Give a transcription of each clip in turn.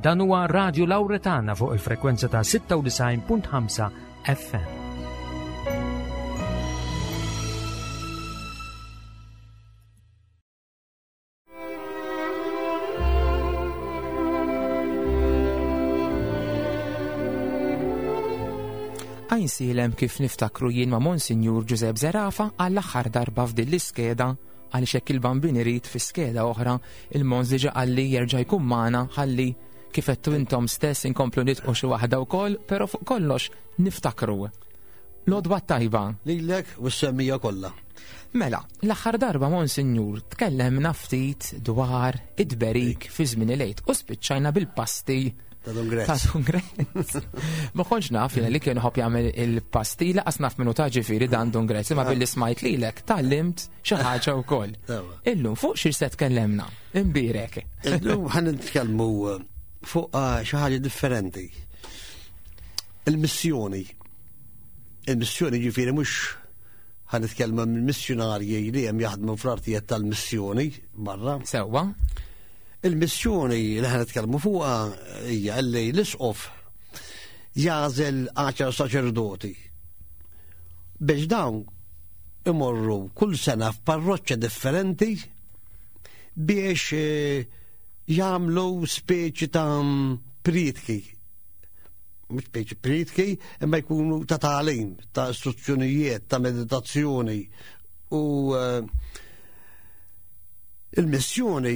Dan huwa Radio Lauretana fuq il-frekwenza ta' 96.5 FM. Għajnsielem kif niftakru jien ma' Monsinjur Giuseppe Zerafa għall-aħħar darba f'din l-iskeda għaliex hekk il-bambin irid fi skeda oħra il-Mons diġa qalli jerġa' jkun magħna ħalli kif għedtu intom stess inkomplu nitqu xi waħda wkoll, però fuq kollox niftakru. L-għodwa tajba. Lilek u s-semmija kollha. Mela, l-aħħar darba Monsinjur tkellemna ftit dwar id-berik fi żmien il-Għid u spiċċajna bil-pasti Ta' Dun Grezz. Ta' Dun Grezz. Ma kontx naf li kien ħobb jagħmel il-pasti laqas naf minnu ta' ġifieri dan Dun Grezz, imma billi smajt lilek tgħallimt xi ħaġa wkoll. Illum fuq xi se tkellemna? Imbierek. Illum ħan nitkellmu eh, fuq eh, xi ħaġa differenti. Il-missjoni. Il-missjoni ġifieri mhux ħan nitkellmu mill-missjonarji li hemm jaħdmu fl-artijiet tal-missjoni barra. Sewwa. Il-missjoni li ħan nitkellmu fuqha hija li l-isqof jagħżel għaxar saċerdoti biex dawn imorru kull sena f'parroċċa differenti biex eh, jagħmlu speċi ta' prietki. Mhux speċi prietki, imma jkunu ta' tagħlim, ta' istruzzjonijiet, ta' meditazzjoni u eh, Il-missjoni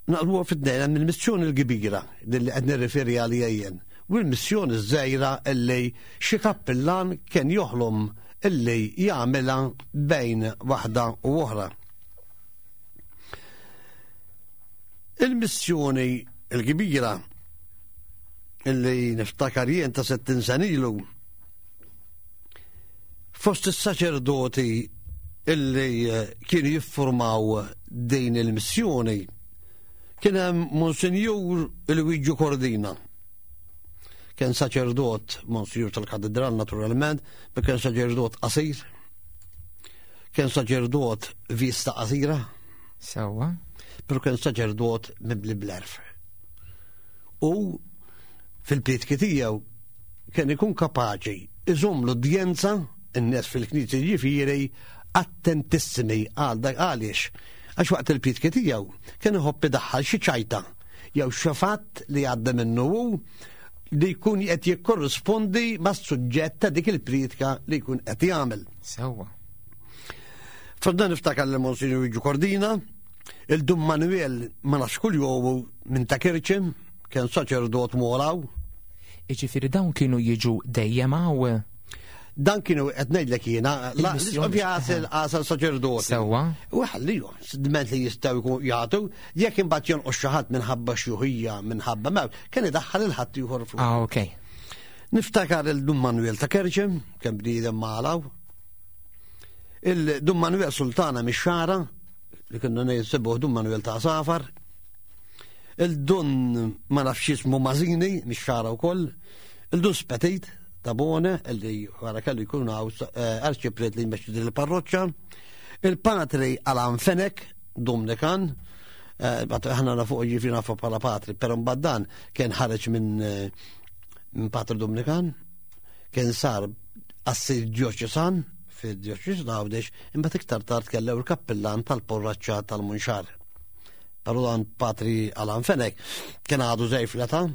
naqluha fid-dejn hemm il-missjoni l-kbira li qed nirriferi għalija jien u l-missjoni ż-żgħira illi xi kappillan kien joħlom illi jagħmilha bejn waħda u oħra. Il-missjoni l-kbira illi niftakar jien ta' 60 sena ilu Fost is-saċerdoti illi eh, kienu jiffurmaw din il-missjoni kien hemm Monsinjur Luigi Cordina. Kien saċerdot Monsinjur tal-Katedral naturalment, ma kien saċerdot qasir. Kien saċerdot vista qasira. Sewwa. Pero kien saċerdot mibli bl-erf. U fil-prietki tiegħu kien ikun kapaċi iżomm l-udjenza, in-nies fil-knisja jiġifieri, attentissimi għal dak għaliex għax waqt il-prietki tiegħu kien iħobb idaħħal xi ċajta jew xi fatt li għadda minnu hu li jkun qed jikkorrispondi mas-suġġett ta' dik il-prietka li jkun qed jagħmel. Sewwa. F'dan niftakar li Monsignor Luigi Cordina, il-Dun Manuel ma nafx kull jomu minn ta' Kirċim, kien saċerdot moraw. Iġifieri dawn kienu jiġu dejjem hawn? Dan kienu qed ngħidlek jiena, l-isqof jagħsel għasel saċerdoti. Sewwa. U ħallihom, dment li jistgħu jkun jagħtu, jekk imbagħad jonqos xi ħadd minħabba xjuħija, minħabba mewt, kien idaħħal il-ħadd ieħor fuq. Ah, ok. Niftakar il-Dun Manuel ta' Kerċem, kemm bniedem malaw. Il-Dun Manuel Sultana mix-Xara, li kienu ngħid Dun Manuel ta' Safar. Il-dun ma nafx jismu Mażini, mix-xara wkoll, il-dun Spetit ta' Bone, illi wara kellu jkun hawn eh, arċipriet li jmexxi din il-parroċċa, il-patri Alan Fenek, Dominikan, eh, aħna nafu ġifieri nafu bħala patri, però mbagħad dan kien ħareġ minn eh, minn patri Dominikan, kien sar assir dioċesan fid-dioċesan Għawdex, imbagħad iktar tard kellew il-kappillan tal-porraċċa tal-Munxar. Però dan Patri Alan Fenech kien għadu żgħir fl-età,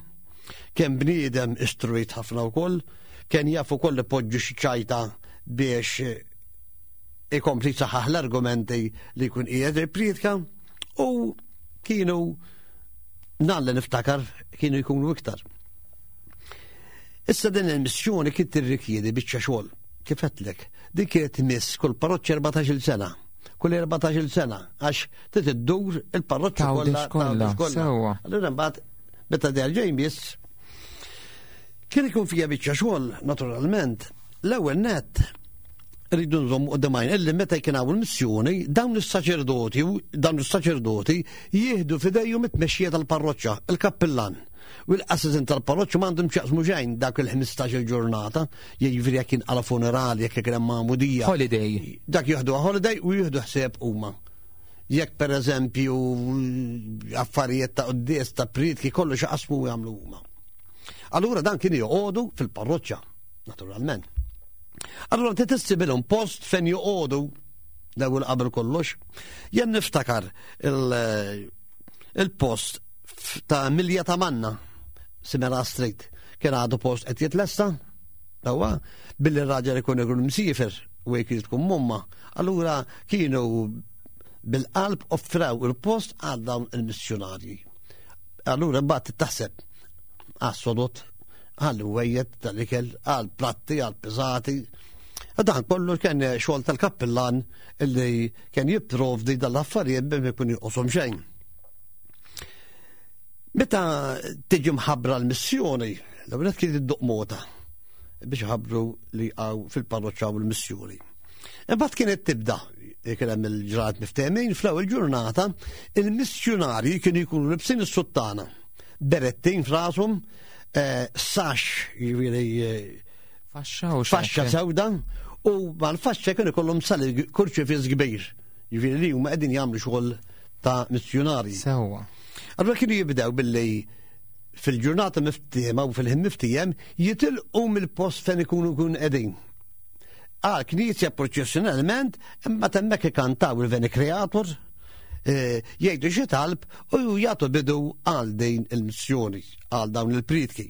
kien bniedem istruit ħafna wkoll, kien jaf ukoll ipoġġi xi ċajta biex ikompli saħaħ l-argumenti li jkun qiegħed ippriedka u kienu nan li niftakar kienu jkunu iktar. Issa din il-missjoni kien tirrikjedi biċċa xogħol. Kif għedtlek, din kienet tmiss kull parroċċa 14-il sena. Kull 14-il sena għax trid iddur il-parroċċa kollha. kollha. Sewwa. Allura mbagħad meta derġa' jmiss kien ikun fija biċċa xogħol naturalment. L-ewwel nett rridu nżommu qudiem għajn illi meta kien hawn il-missjoni dawn is-saċerdoti dawn is-saċerdoti jieħdu f'idejhom it-tmexxija tal-parroċċa, il-kappillan. U l-qassisin tal-parroċċa m'għandhom x'jaqsmu xejn dak il-15 il-ġurnata, jiġifieri jekk jinqala funerali, jekk ikun hemm magħmudija. Holiday. Dak jieħdu holiday u jieħdu ħsieb huma. Jekk per eżempju affarijiet ta' quddies ta' prietki kollox jaqsmu jagħmlu huma. Allura dan kien joqogħdu fil-parroċċa, naturalment. Allura ti tissibilhom post fejn joqogħdu l-ewwel qabel kollox. Jien niftakar il-post ta' Milja ta' Manna, Simera Street, kien għadu post qed jitlesta, Dawa, billi r-raġel ikun ikun msiefer u jekk tkun mumma, allura kienu bil-qalb offraw il-post għal dawn il-missjonarji. Allura mbagħad taħseb għas-sodot, għal wejjed tal-ikel, għal platti, għal piżati. Dan kollu kien xogħol tal-kappillan illi kien jipprovdi dal-affarijiet biex ikun jinqoshom xejn. Meta tiġi mħabbra l-missjoni, l-ewwel kien idduq mota biex ħabbru li għaw fil-parroċċa u l-missjoni. Imbagħad kienet tibda kien hemm il-ġranet miftehmin fl-ewwel ġurnata il-missjunarji kienu jkunu libsin is-suttana, berettin f'rashom, eh, sax jiġifieri eh, faxxa u faxxa sewda u mal-faxxa kienu ikollhom sali kurċifiss kbir. Jiġifieri li huma qegħdin jagħmlu xogħol ta' missjunarji. Sewwa. Allura kienu jibdew billi fil-ġurnata miftiema u fil-ħin miftiem jitilqu mill-post fejn ikunu kun qegħdin. Għal knisja proċessjonalment imma temmek ikantaw il-Veni Creator, eh, jgħidu xi talb u jagħtu bidu għal din il-missjoni, għal dawn il-pritki.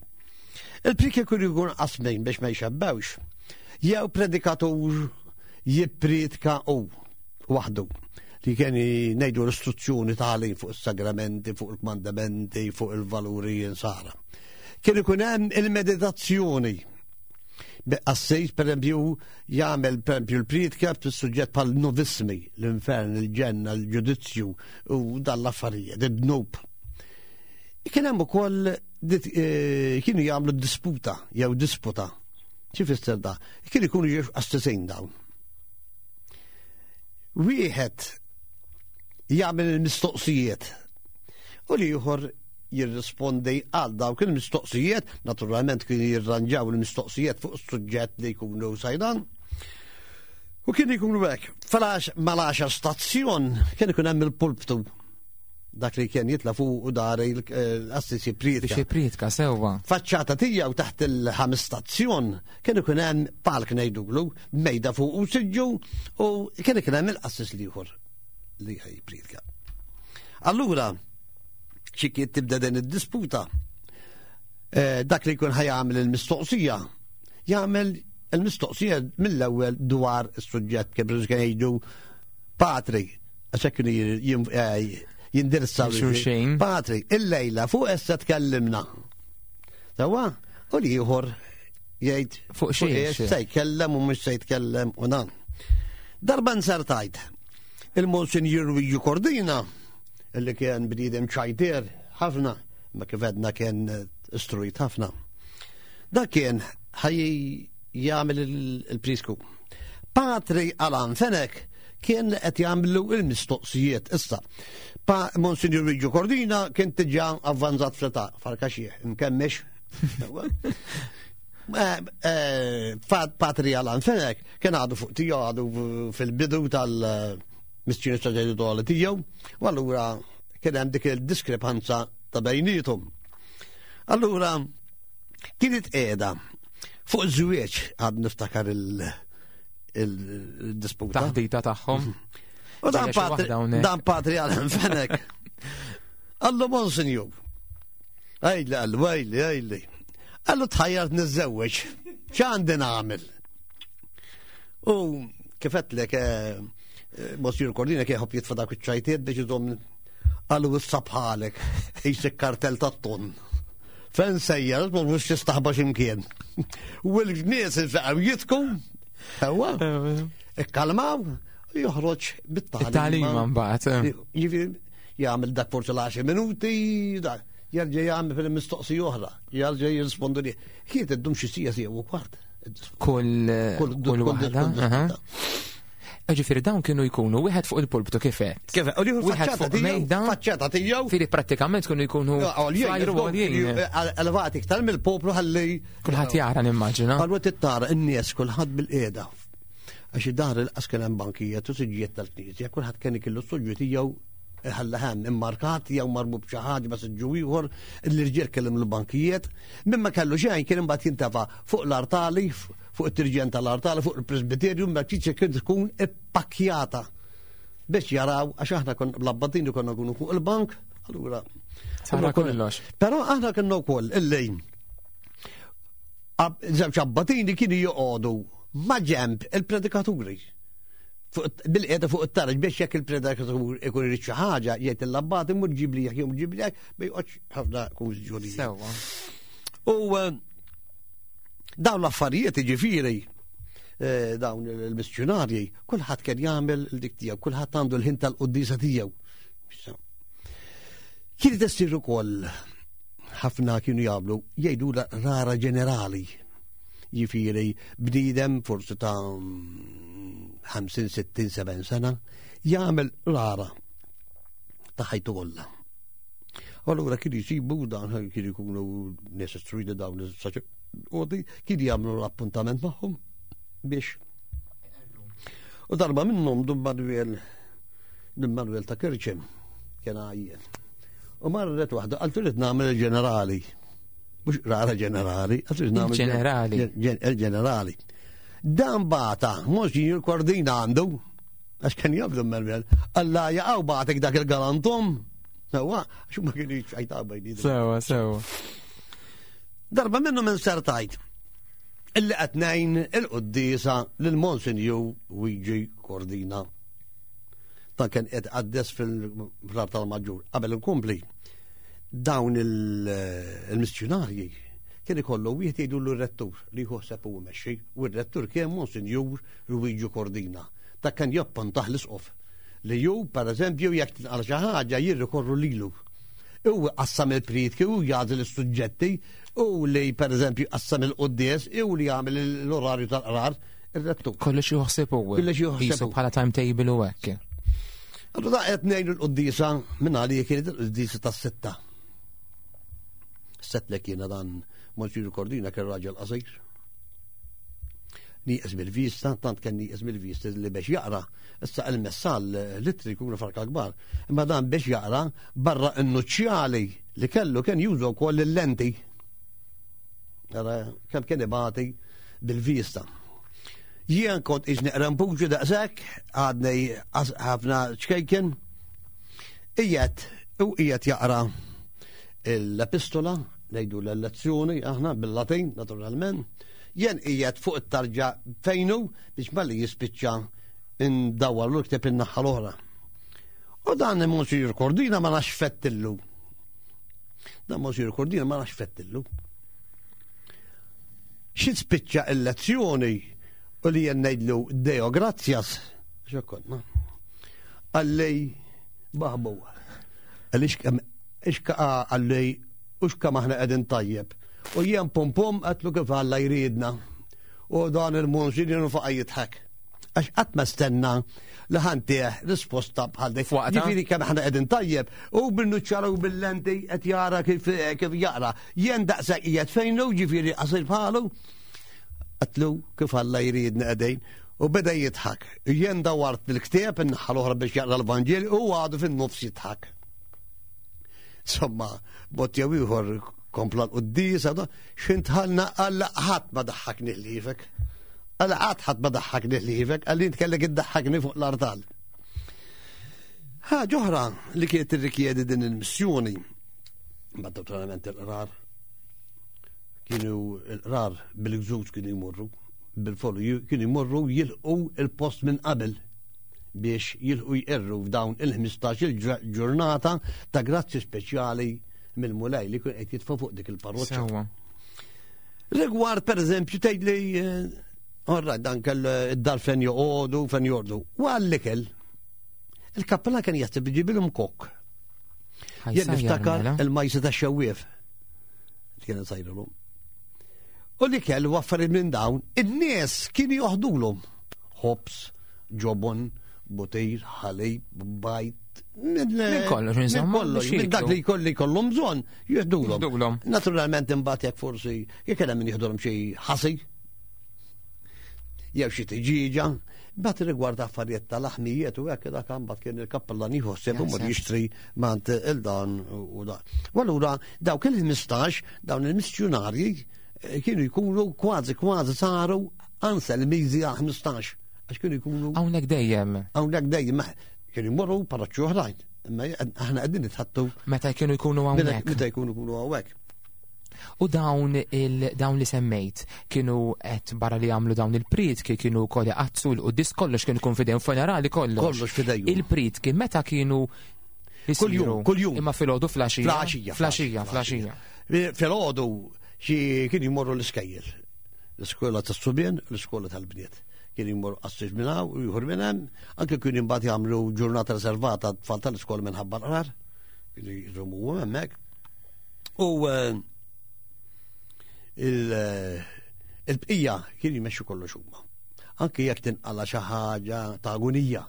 Il-pritki kienu jkun qasmin biex ma jxebbewx. Jew predikatur jippritka u waħdu li kien ngħidu l-istruzzjoni tagħlim fuq is-sagramenti, fuq il-kmandamenti, fuq il-valuri insara. Kien ikun hemm il-meditazzjoni. Qassis, per eżempju, jagħmel per eżempju l-priedka fis-suġġett bħal novismi, l-infern, il-ġenna, l-ġudizzju u dan l-affarijiet, id-dnub. Kien hemm ukoll eh, kienu jagħmlu disputa jew disputa. Xi fisser da? Kien ikunu ġiex qassisin dawn. Wieħed jagħmel il-mistoqsijiet u l-ieħor jirrispondi għal dawk il-mistoqsijiet, naturalment kienu jirranġaw il-mistoqsijiet fuq is-suġġett li jkunu sajdan. U kien jkunu hekk, flax mal-10 stazzjon kien ikun hemm il-pulptu dak li kien jitla fuq u dari l-assisi priedka. Biex priedka sewwa. Faċċata tiegħu taħt il-ħames stazzjon kien ikun hemm palk ngħidulu, mejda fuq u siġġu u kien ikun hemm il-qassis l-ieħor li priedka. Allura, xi kien tibda din id-disputa, eh, dak li jkun ħajamel il-mistoqsija, jagħmel il-mistoqsija mill-ewwel dwar is-suġġett kif jgħidu patri Għax hekk kienu eh, jindirizzaw xulxin. Patri, il-lejla fuq essa tkellimna. Sawa, u li ieħor jgħid fuq xiex. Se jkellem u mhux se jitkellem u dan. Darba nsertajt il-Monsinjur Luigi Cordina, illi kien bniedem ċajtier ħafna, ma kif għedna kien istruit ħafna. Dak kien ħaj jagħmel il-prisku. Patri Alan Fenek kien qed jagħmlu il-mistoqsijiet issa. Pa Monsignor Luigi Cordina kien tiġa avvanzat fl-età, farka xieħ, mkemmex. Eh, eh, Patri Alan Fenek kien għadu fuq tiegħu għadu fil-bidu tal-missjoni saċerdotali tiegħu, u allura kien hemm dik il-diskrepanza ta' bejnietom. Allura kienet qiegħda fuq żwieġ għad niftakar il- il-disputa. Taħdita tagħhom. U dan patri, dan patri għal fenek. Għallu monsinju. Għajli, għallu, għajli, għajli. Għallu tħajjart nizzewweġ. ċ'għandi nagħmel? U kifetlek, eh, eh, Monsignor Cordina kien ħobb jitfa' dak iċ-ċajtiet biex iżomm għallu issa bħalek, jisek kartel tat-ton. Fejn sejjer, ma mhux tistaħba x'imkien. U l-nies infaqgħu jitku, Ewa, ikkalmaw, u joħroġ bit-tagħlima. It-tagħlima mbagħad. Eh. Jiġifieri jagħmel dak forsi l-10 minuti, jerġa' jagħmel fil-mistoqsija oħra, jerġa' jirrispondu li. Kienet iddum xi sija sija u kwart. Kull kull waħda. Ġifieri dawn kienu jkunu wieħed fuq il-pulptu kif qed. Kif u wieħed fuq mejda. Faċċata tiegħu. Fieri prattikament kienu jkunu flajru għoljin. Elevati iktar mill-poplu ħalli Kulħadd jara nimmaġina. Allura tittara n-nies kulħadd bil-qiegħda. Għax id-dar il-qas kien hemm bankijiet u siġġijiet tal-knisja, kulħadd kien ikellu s-suġġu tiegħu ħalla hemm immarkat jew marbu b'xi ħaġa ma siġġu ieħor, l-irġiel kellhom l-bankijiet, minn ma kellu xejn kien imbagħad jintefa' fuq l-artali, fuq it-tirġen tal-artali, fuq il-presbiterju, ma kien tkun ippakkjata biex jaraw għax aħna kon l-abbatini konna nkunu fuq il-bank, allura. Sara kollox. Però aħna kienna wkoll il-lejn. Żewġ abbatini kienu joqogħdu ma' ġemb il-predikaturi. Bil-qiegħda fuq it-taraġ biex jekk il-predikatur ikun irid xi ħaġa jgħid il-abbati mur ġib li jew ġib li ma joqgħodx ħafna konfużjoni. Sewwa. U eh, dawn l-affarijiet jiġifieri eh, dawn il-missjonarji, kulħadd kien jagħmel dik tiegħu, kulħadd għandu l-ħin tal-quddisa tiegħu. Kienet issir ukoll ħafna kienu jagħmlu jgħidu rara ġenerali. Jifieri bniedem forsi ta' 50, 60, 70 sena jagħmel rara ta' ħajtu kollha. U allura kienu jsibu dan kienu jkunu nies istruiti dawn is-saċerdoti kienu jagħmlu l-appuntament magħhom biex. U darba minnhom Dun Manuel Dun Manuel ta' Kirċem kien għajjen. U marret waħda qaltu li nagħmel il-ġenerali. Mhux rara ġenerali, qaltu li nagħmel ġenerali. Il-ġenerali. Dan bata, Monsignor Cordina għandu, għax kien jaf Dun Manuel, alla jaqaw batek dak il-galantum. Sewa, għax ma kienu ċajta bejni. Sewa, sewa. Darba minnu minn sertajt illi qed ngħin il-quddiesa lil Monsinjur Luigi Cordina. Ta' kien qed qaddes fil-frar tal-Maġġur. Qabel inkompli, dawn il-missjunarji kien ikollu wieħed jgħidu l-rettur li jħosseb u jmexxi u r-rettur kien Monsinjur Luigi Cordina. Ta' kien jappuntaħ l-isqof li ju, per eżempju, jekk tinqal xi ħaġa jirrikorru lilu. U qassam il-prietki u jagħżel is-suġġetti u li per eżempju qassam il-quddies u li jagħmel l-orarju tal-qrar ir-rettur. Kollox juħseb u. Kollox juħseb bħala timetable u hekk. Allura da qed ngħidu l-quddiesa minn għalija kienet il-quddiesa tas-sitta. Sett li kiena dan Monsignor Cordina kien raġel qasir. Nieqes bil-vista, tant kien nieqes bil-vista li biex jaqra, issa il-messal litri jkunu farka kbar, imma dan biex jaqra barra n-nuċċjali li kellu kien juża wkoll il-lenti. Ara kemm kien ibati bil-vista. Jien kont iġ neqra mpuġu daqshekk, għadni ħafna ċkejken, qiegħed u qiegħed jaqra l-epistola, ngħidu l-lezzjoni aħna bil-Latin naturalment, jien qiegħed fuq it-tarġa fejnu biex malli jispiċċa ndawwar l-kteb in-naħa l-oħra. U dan Monsignor Cordina ma nafx fettillu. Dan Monsignor Cordina ma nafx fettillu. Xi spiċċa il-lezzjoni u li jien ngħidlu Deo grazzjas, x'konna. Għallej baħbu. Għaliex ix għallej u x'kemm aħna qegħdin tajjeb. U jien pum pum għatlu kif Alla jridna. U dan il-monsinjur faqa jidħak. Għax qatt ma stenna li ħantih risposta bħal dik. Ġifieri kemm aħna qegħdin tajjeb u bil-nuċċara u bil-lenti qed jara kif kif jaqra. Jien daqshekk qiegħed fejn hu ġifieri qasir bħalu. Qatlu kif Alla jridna qegħdin u beda jidħak. Jien dawart il-ktieb in-naħa l-oħra biex jaqra l-Vanġeli u għadu fin-nofs jidħak. Insomma, bot jew ieħor kompla l-quddis, xintħalna għalla ħadd ma daħħakni ħliefek. Għalla qatt ħadd ma daħħakni ħliefek, għalli int kellek iddaħħakni fuq l-artal. Ħaġa oħra li kienet tirrikjedi din il-missjoni, ma naturalment il-qrar, kienu il-qrar bil-gżuż kienu jmorru, bil-follu kienu jmorru jilqu il-post minn qabel biex jilħqu jqerru f'dawn il-15 il-ġurnata ta' grazzi speċjali mill-Mulej li kien qed jitfa' fuq dik il-parroċċa. Rigward pereżempju tgħid li eh, Orra, dan kell eh, id-dar fejn joqogħdu, fejn jordu. U għall-ikel, il-kappella kien jaħseb iġibilhom kok. Jien niftakar mela. il-majsa ta' xewwief. Kien sajrulhom. U li kell u affarijiet minn dawn, in-nies kienu joħdulhom ħobż, ġobon, butir, ħalib, bajt, minn kollox, insomma. Kollox, minn dak li jkolli kollhom bżonn, jihdulhom. Naturalment imbagħad jekk forsi jekk hemm min jihdulhom xi ħasi, jew xi tiġiġa. Bat rigward affarijiet tal-aħmijiet u hekk dak mbagħad kien il-kappellan jħosseb u mur jixtri mant il-dan u dan. U allura dawk il-15 dawn il-missjunarji eh, kienu jkunu kważi kważi saru anselmiżi għal 15 għax kienu jkunu. Hawnhekk dejjem. Hawnhekk dejjem kienu jmorru paraċċu oħrajn. Imma aħna qegħdin nitħattu. Meta kienu jkunu hawnhekk. Meta jkunu jkunu hawnhekk. U dawn il dawn li semmejt kienu qed barra li jagħmlu dawn il-prietki kienu wkoll iqaddsu l-quddis kollox kien ikun fidejhom funerali kollox. Kollox fidejhom. Il-prietki meta kienu Kuljum, kuljum. Imma filgħodu flaxija. Flaxija. Flaxija, flaxija. Filgħodu xi kienu jmorru l-iskejjel. L-iskola tas-subien, l-iskola tal-bniet. Kien jmorru qassis minn hawn u ieħor minn hemm, anke kienu imbagħad jagħmlu ġurnata riservata tfal tal-iskola minħabba l-qrar. Kienu jżommu hemmhekk. U eh, eh, il-bqija kien jmexxu kollox huma. Anke jekk tinqala xi ħaġa ta' agonija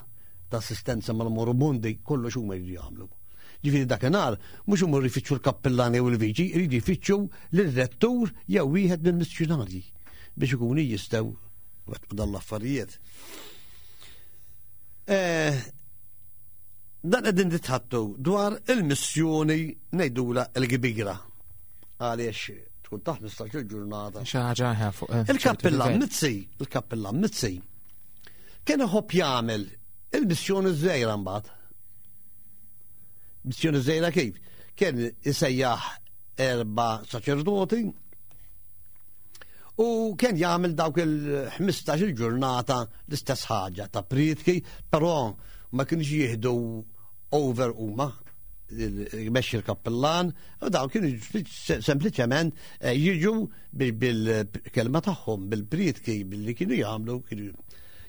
ta' assistenza mal-moribundi, kollox huma jridu jagħmlu. Ġifieri dakinhar mhux imorru jfittxu l-kappillani u l-viċi, jridu jfittxu lir-rettur jew wieħed mill-missjunarji biex ikunu jistgħu wettqu dan l-affarijiet. Eh, dan qegħdin nitħattu dwar il-missjoni ngħidula l-kbira. Għaliex tkun ta' 15 ġurnata. Xi ħaġa fuq. Eh, il-kappillan Mizzi, il-kappillan Mizzi, kien iħobb jagħmel il-missjoni żgħira mbagħad. Missjoni żgħira kif? Kien isejjaħ erba' saċerdoti u kien jagħmel dawk il-15 il-ġurnata l-istess ħaġa ta' prietki, però ma kienx jieħdu over huma jmexxi l-kappillan u dawn kienu sempliċement eh, jiġu bil-kelma tagħhom, bil-prietki billi kienu jagħmlu kienu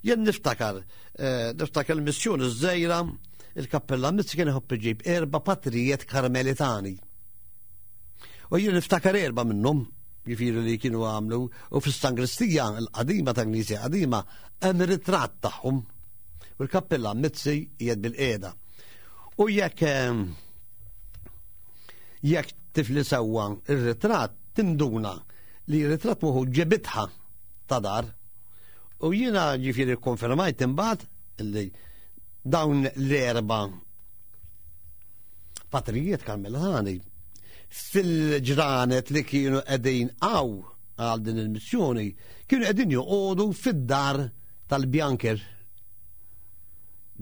Jien niftakar, eh, niftakar il-missjoni żgħira il-kappillan Mizzi kien iħobb iġib erba' patrijiet Karmelitani. U jien niftakar erba' minnhom, jiġifieri li kienu għamlu, u fis-sangristija l-qadima ta' Knisja qadima hemm ritratt tagħhom. U l-kappillan Mizzi qiegħed bil-qiegħda. U jekk ehm, jekk tifli sewwa ir-ritratt tinduna li r-ritratt muħu ġebitħa ta' dar. U jiena ġifieri konfermajt imbagħad li dawn l-erba' patrijiet Karmelani fil-ġranet li kienu qegħdin għaw għal din il-missjoni kienu qegħdin joqogħdu fid-dar tal-Bjanker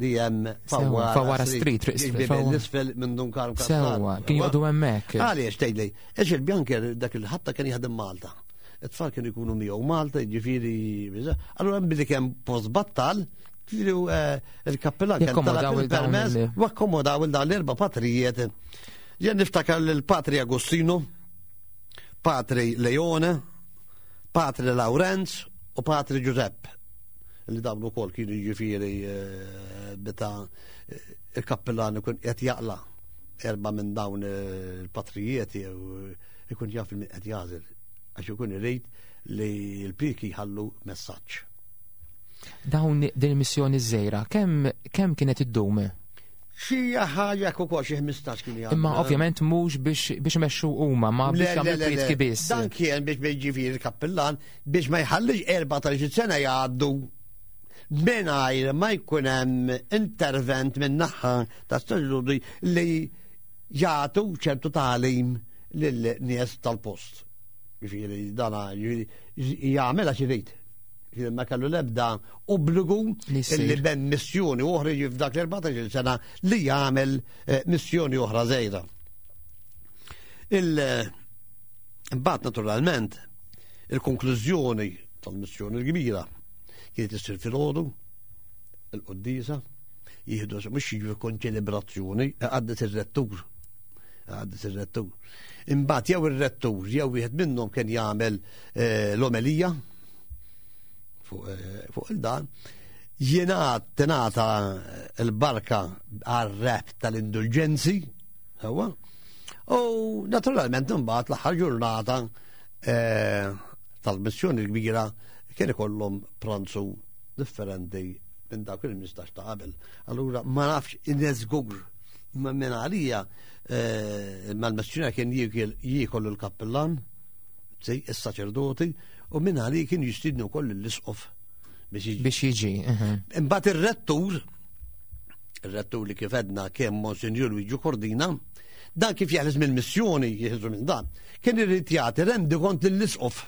li hemm Fawara Street, l-isfel minn Dun Karm Sewa, kien joqogħdu hemmhekk. Għaliex tgħidli, għax il-Bjanker dak il-ħabta kien jaħdem Malta. It-tfal kienu jkunu miegħu Malta, jiġifieri, allura hemm billi kemm post battal, ġifieri eh, il-kappellan kien talab il-permess u akkomodaw il dawn l-erba' patrijiet. Jien niftakar l-Patri Agostino, Patri Leone, Patri Lawrenz u Patri Giuseppe li dawn ukoll kienu jiġifieri eh, meta eh, il-kappellan ikun qed jaqla erba' minn dawn il-patrijiet jew ikun jaf il qed jażel għax ikun irid li l-piki jħallu messaġġ. Dawn din il-missjoni żgħira kemm kemm kienet iddum? Xi ħaġa ukoll xi 15 kien jagħmel. Imma ovvjament mhux biex biex imexxu huma, ma biex jagħmlu prietki biss. Dan kien biex jiġifieri il-kappillan biex ma jħallix 14 sena jgħaddu mingħajr ma jkun hemm intervent minn naħa ta' saċerdoti li jagħtu ċertu tagħlim lil-nies tal-post. Ġifieri dana jagħmel għax irid. Ġifieri ma kellu l-ebda obbligu li ben missjoni oħra f'dak l-14 sena li jagħmel eh, missjoni oħra żejda. Il-bat naturalment il-konklużjoni tal-missjoni l-kbira kienet issir filgħodu il-qoddisa jieħdu mhux jiġu konċelebrazzjoni għaddet ir-rettur għaddet ir-rettur. Imbagħad jew ir-rettur jew wieħed minnhom kien jagħmel eh, l-omelija fuq eh, il-dan jingħad tingħata l-barka għar-rap tal-indulġenzi sewwa. U naturalment imbagħad l-aħħar ġurnata eh, tal-missjoni l-kbira kien ikollhom pranzu differenti minn dak il-mistax ta' qabel. Allura ma nafx ineżgur ma minn għalija eh, mal-missjoni kien jiekol il-kappellan, is-saċerdoti, u minn għalija kien jistidnu koll l-isqof biex jiġi. Biex jiġi. Imbagħad ir-rettur, ir-rettur li kif għedna kemm Monsinjur Luigi Cordina, dan kif jeħles mill-missjoni, jeħlesu minn dan, kien irid jagħti rendikont lill-isqof.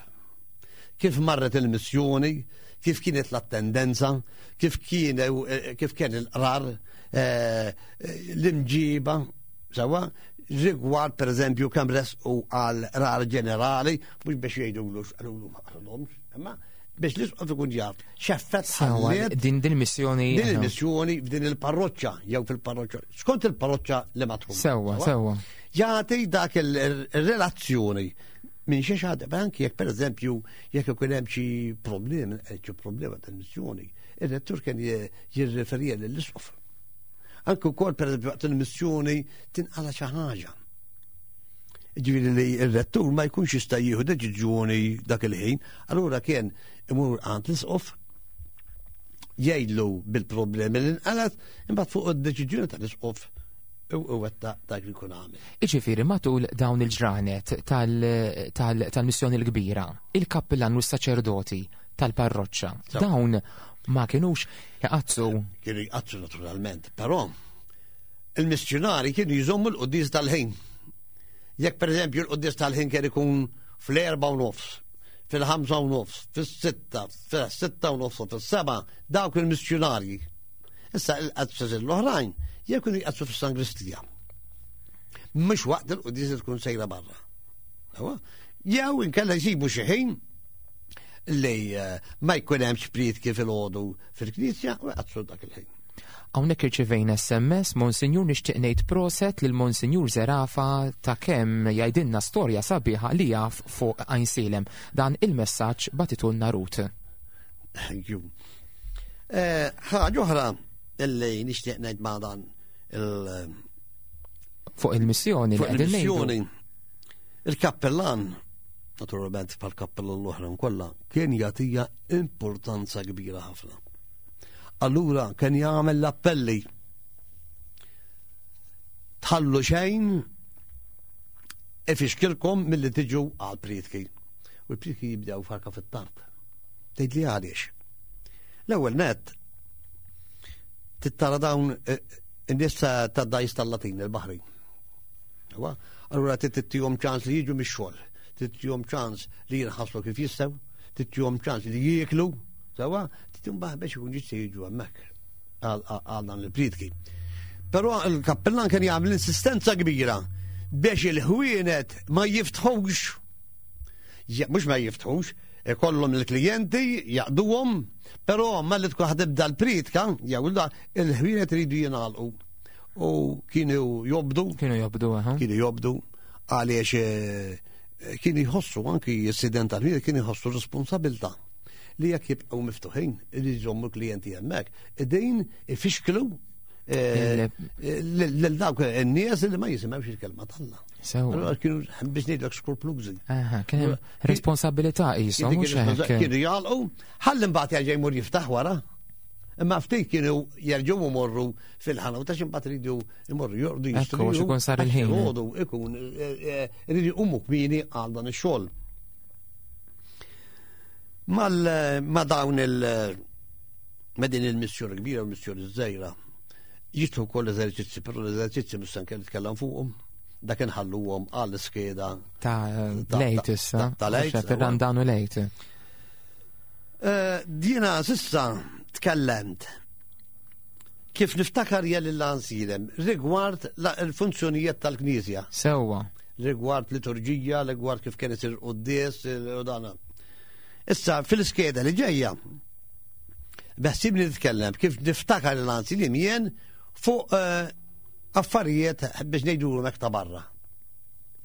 Kif marret il-missjoni, kif kienet l-attendenza, kif kien eh, kif kien il-qrar, eh, l-imġiba, sewa, rigward per eżempju kemm resqu għal rar ġenerali, mhux biex jgħidulu x'qalulu ma qalulhomx, imma biex l-isqof ikun jaf x'effett ħalliet din din missjoni din il-missjoni f'din il-parroċċa jew fil-parroċċa skont il-parroċċa li ma tkun. Sewwa, sewwa. Jagħti dak il-relazzjoni minn xi ħadd anki jekk pereżempju jekk ikun hemm xi problemi, eh, xi problema tal-missjoni, ir-rettur kien jirreferija lill-isqof. Anke wkoll pereżempju waqt il-missjoni tinqala xi ħaġa. Ġifieri li r-rettur ma jkunx jista' jieħu deċiżjoni dak il-ħin, allura kien imur għand l-isqof jgħidlu bil-problemi li nqalat, imbagħad fuq id-deċiżjoni tal-isqof u wetta dak li jkun għamel. Iġifieri matul dawn il-ġranet tal-missjoni l-kbira, il-kappillan u s-saċerdoti tal-parroċċa, dawn ma kienux jaqazzu. Kienu jqazzsu naturalment, però il-missjonari kienu jżommu l-quddies tal-ħin. Jekk per eżempju l-quddies tal-ħin kien ikun fl-4:30, fil-5:30, fis-6, fis-6:30, fis-7, dawk il-missjonarji. Issa il-qazzas l-oħrajn jekk kienu jqazzsu fis-sangristija. Mhux waqt il-quddies tkun sejra barra. Jew inkella jsibu xi ħin li eh, ma jkun hemmx prietki fil-ħodu fil-knisja u jqazzsu dak il-ħin. Hawnhekk irċivejna SMS, Monsinjur nixtieq ngħid proset lil Monsinjur Zerafa ta' kemm jgħidilna storja sabiħa li jaf fuq Għajnsielem. Dan il-messaġġ bagħtitulna Ruth. Thank you. Eh, ħaġa oħra illi nixtieq ngħid ma' dan il- Fuq il-missjoni li fuq qegħdin ngħidu. il-missjoni. Il-kappellan, naturalment bħal kappellan l-oħra kollha, kien jagħtija importanza kbira ħafna. Allura kien jagħmel l-appelli. Tħallu xejn ifixkilkom milli tiġu għal prietki. U l-prietki jibdew farka fit-tard. Tgħid li għaliex. L-ewwel net tittara dawn eh, in-nies ta' dajs tal-Latin il-Baħrin. Allura tittihom ċans li jiġu mix-xogħol, tittihom ċans li jinħaslu kif jistgħu, tittihom ċans li jieklu, sewa, tittihom biex ikun jistgħu jiġu hemmhekk għal dan il-prietki. Però il-kappellan kien jagħmel insistenza kbira biex il-ħwienet ma jiftħux. Mhux ma jiftħux, ikollhom il-klijenti jaqduhom, però malli tkun ħadibda l-pritka, jew il-ħwienet iridu jingħalqu. U kienu jobdu. Kienu jobdu, aha. Kienu jobdu għaliex eh, kienu jħossu anki s-sident tal-ħwienet kienu jħossu responsabilta li jekk jibqgħu miftuħin li jżommu klijenti hemmhekk, din ifixklu eh, lil dawk in-nies li ma jisimgħux il-kelma t'Alla. Sew. Kienu biex ngħidlek skruplużi. Aha, kien hemm responsabilità qishom mhux hekk. Kienu jagħlqu, ħalli mbagħad jerġa' jmur jiftaħ wara. Imma ftit kienu jerġgħu jmorru fil-ħana u tax imbagħad iridu jmorru jorqdu jistru. Ekku, ikun sar il-ħin. Joqogħdu ikun eh, eh, iridu jqumu kmieni għal dan ix-xogħol. Ma dawn il- ma din il-missjoni kbira u l-missjoni żgħira jitlu wkoll eżerċizzi, però l-eżerċizzi mhux se nitkellem fuqhom dak inħalluhom għall iskeda ta' lejt issa. Ta' lejt. Randan u lejt. Eh, dina sissa tkellemt kif niftakar jel l-ansilem rigward il-funzjonijiet tal-Knisja. Sewwa. Rigward liturġija, rigward kif kien isir quddies u dana. Issa fil-iskeda li ġejja beħsibni nitkellem kif niftakar l-ansilem jien fuq eh, affarijiet biex ngħidulhom hekk ta' barra.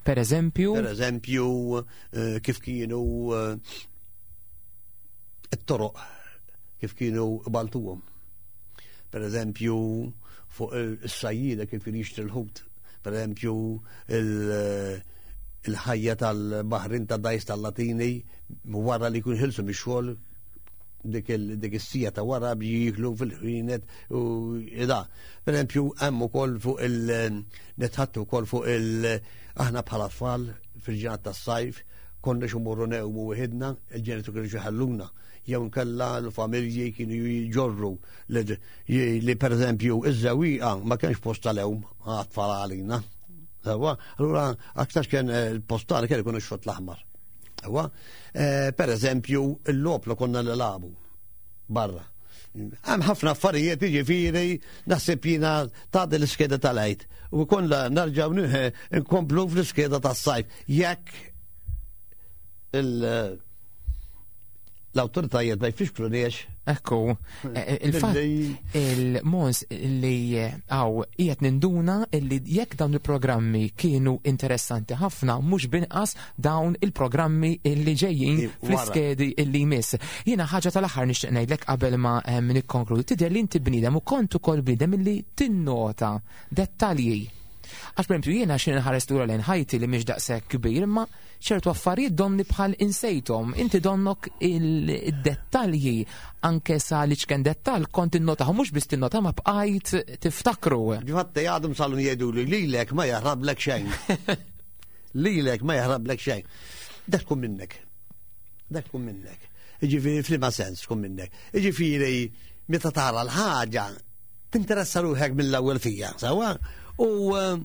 Per eżempju? Per eżempju, eh, kif kienu eh, it-toroq, kif kienu baltuhom. Per eżempju, fuq is-sajjida kif kien jixtri l-ħut. Per eżempju, il-ħajja tal-baħrin ta' dajs tal-Latini wara li jkun ħilsu mix-xogħol dik is-sija ta' wara jiklu fil-ħwienet u da. Per eżempju, hemm ukoll fuq il netħattu wkoll fuq il aħna bħala tfal fil-ġinat tas-sajf Konna xumurru newmu wieħedna, il-ġenitu kienu ħalluna, jew nkella l-familji kienu jġorru li per eżempju iż-żewwieqa ma kienx post tal-ewm għat-tfal għalina. Ewa, allura aktar kien eh, il-post tagħna kien ikun ix-xott l-aħmar. Ewa, eh, per eżempju l-logħob li konna nilagħbu barra. Hemm ħafna affarijiet jiġifieri naħseb jiena ta' l-iskeda tal-għid. U konna narġgħu nkomplu fl-iskeda tas-sajf. Jekk il- l-autoritajiet ma jfixkluniex. Ekku, eh, eh, il-fatt il-mons li eh, għaw qiegħed ninduna li jekk dawn il-programmi kienu interessanti ħafna mhux binqas dawn il-programmi li ġejjin fl-iskedi li jmiss. Jiena ħaġa tal-aħħar nixtieq ngħidlek qabel ma nikkonkludi tidher li inti bniedem u kont ukoll bniedem li tinnota dettalji. Għax per jiena xi nħares lura lejn ħajti li mhix daqshekk kbir, imma ċertu affarijiet donni bħal insejthom. Inti donnok il-dettalji anke sa li ċken dettal kont innotaħ, mhux biss tinnota ma bqajt tiftakru. Ġifatte għadhom salum jgħidu li lilek ma jaħrablek xejn. Lilek ma jaħrablek xejn. Dak tkun minnek. Dak tkun minnek. Ġifieri f'liema sens tkun minnek. Ġifieri meta tara l-ħaġa tinteressa ruħek mill-ewwel fija, sawa? U eh,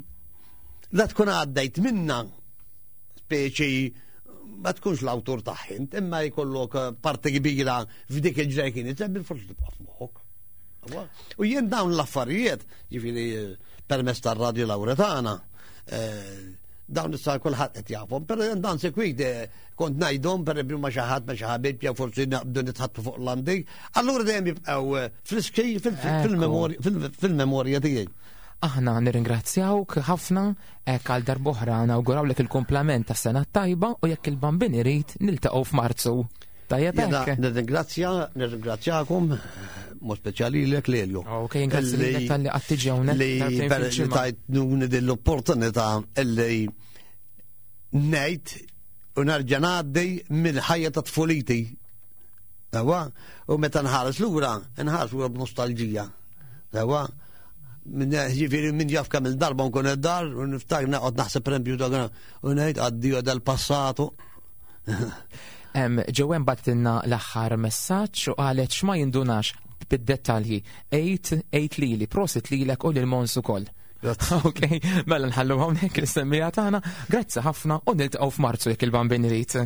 la tkun għaddejt minna speċi ma tkunx l-awtur tagħhint, imma jkollok eh, parti kbira f'dik il-ġraj kien bil-forsi tibqa' f'moħħok. U jien dawn l-affarijiet, ġifieri eh, permezz tar-Radio Lauretana, eh, dawn issa kulħadd qed jafhom, però jien dan sekwit kont ngħidhom pereżempju ma xi ħadd ma xi ħabib jew forsi naqbdu nitħattu fuq l-andik, allura dejjem jibqgħu friski fil-memorja tiegħi. Aħna nirringrazzjawk ħafna hekk għal darb'oħra nawgurawlek il-kumplament tas-sena tajba u jekk il-Bambin irid niltaqgħu f'Marzu. Tajjeb hekk. Nirringrazzja, nirringrazzjakom, mod speċjali lilek Lelio. Ok, grazzi lilek talli qatt tiġi hawnhekk. Li tajtnuni din l-opportunità illi ngħid u nerġa' ngħaddi mill-ħajja ta' tfuliti. Ewa, u meta nħares lura, nħares lura b'nostalġija. Ewa, ġifieri min jaf kemm il-darba nkun id-dar u niftakar naqgħod naħseb pereżempju dak u ngħid addio dal-passatu. Ġewen batinna l-aħħar messaġġ u qalet x'ma jindunax bid-dettalji. Ejt, ejt lili, prosit lilek u lil Mons ukoll. Ok, mela nħallu hawnhekk l-istemmija tagħna. Grazzi ħafna u niltaqgħu f'Marzu jekk il-Bambin irid.